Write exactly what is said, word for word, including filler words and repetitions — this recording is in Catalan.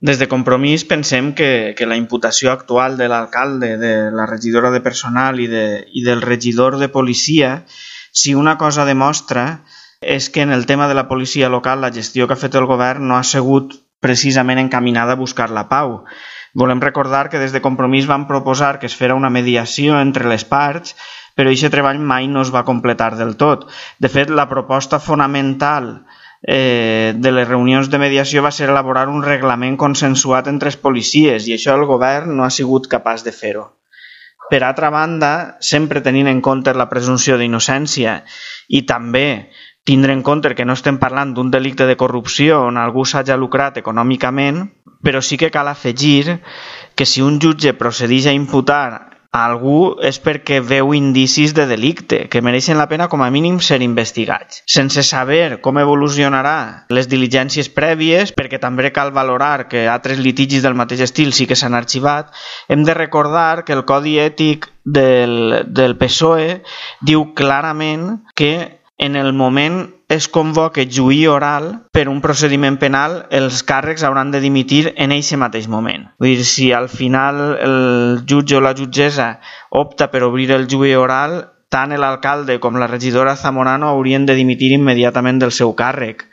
Des de Compromís pensem que, que la imputació actual de l'alcalde, de la regidora de personal i, de, i del regidor de policia, si una cosa demostra és que en el tema de la policia local la gestió que ha fet el govern no ha sigut precisament encaminada a buscar la pau. Volem recordar que des de Compromís vam proposar que es fera una mediació entre les parts, però aquest treball mai no es va completar del tot. De fet, la proposta fonamental eh, de les reunions de mediació va ser elaborar un reglament consensuat entre els policies i això el govern no ha sigut capaç de fer-ho. Per altra banda, sempre tenint en compte la presumpció d'innocència i també tindre en compte que no estem parlant d'un delicte de corrupció on algú s'hagi lucrat econòmicament, però sí que cal afegir que si un jutge procedeix a imputar a algú és perquè veu indicis de delicte que mereixen la pena com a mínim ser investigats. Sense saber com evolucionarà les diligències prèvies, perquè també cal valorar que altres litigis del mateix estil sí que s'han arxivat, hem de recordar que el Codi Ètic del, del P S O E diu clarament que en el moment es convoca juí oral per un procediment penal, els càrrecs hauran de dimitir en eixe mateix moment. Vull dir, si al final el jutge o la jutgessa opta per obrir el juí oral, tant l'alcalde com la regidora Zamorano haurien de dimitir immediatament del seu càrrec.